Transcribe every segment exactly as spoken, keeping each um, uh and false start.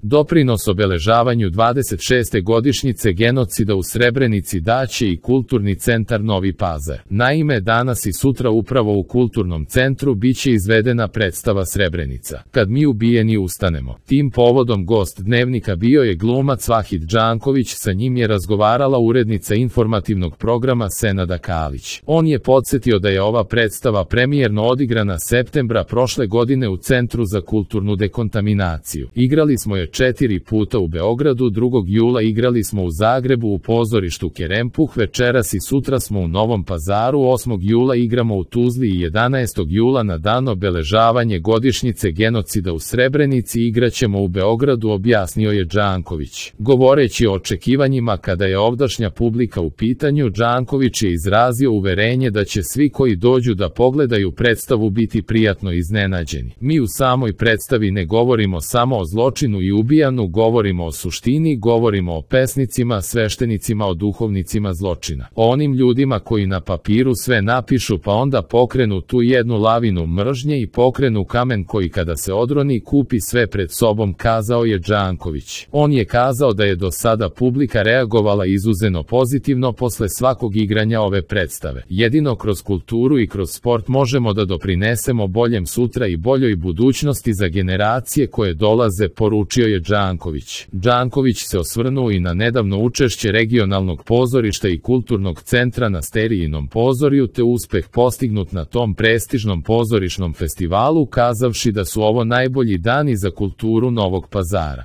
Doprinos obeležavanju dvadeset šeste godišnjice genocida u Srebrenici daće i Kulturni centar Novi Pazar. Naime, danas i sutra upravo u Kulturnom centru biće izvedena predstava Srebrenica, kad mi ubijeni ustanemo. Tim povodom gost Dnevnika bio je glumac Vahid Džanković, sa njim je razgovarala urednica informativnog programa Senada Kalić. On je podsjetio da je ova predstava premijerno odigrana septembra prošle godine u Centru za kulturnu dekontaminaciju. Igrali smo je četiri puta u Beogradu, drugog jula igrali smo u Zagrebu u pozorištu Kerempuh, večeras i sutra smo u Novom Pazaru, osmog jula igramo u Tuzli i jedanaestog jula na dan obeležavanje godišnjice genocida u Srebrenici igraćemo u Beogradu, objasnio je Džanković. Govoreći o očekivanjima kada je ovdašnja publika u pitanju, Džanković je izrazio uverenje da će svi koji dođu da pogledaju predstavu biti prijatno iznenađeni. Mi u samoj predstavi ne govorimo samo o zločinu i ubijanu, govorimo o suštini, govorimo o pesnicima, sveštenicima, o duhovnicima zločina, o onim ljudima koji na papiru sve napišu pa onda pokrenu tu jednu lavinu mržnje i pokrenu kamen koji kada se odroni kupi sve pred sobom, kazao je Džanković. On je kazao da je do sada publika reagovala izuzetno pozitivno posle svakog igranja ove predstave. Jedino kroz kulturu i kroz sport možemo da doprinesemo boljem sutra i boljoj budućnosti za generacije koje dolaze, poručio je Džanković. Džanković se osvrnuo i na nedavno učešće regionalnog pozorišta i kulturnog centra na Sterijinom pozorju te uspeh postignut na tom prestižnom pozorišnom festivalu, kazavši da su ovo najbolji dani za kulturu Novog Pazara.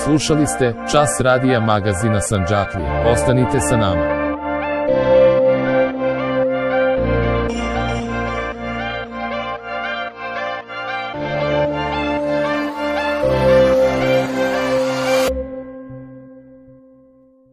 Slušali ste Čas radija magazina Sandžaklija. Ostanite sa nama.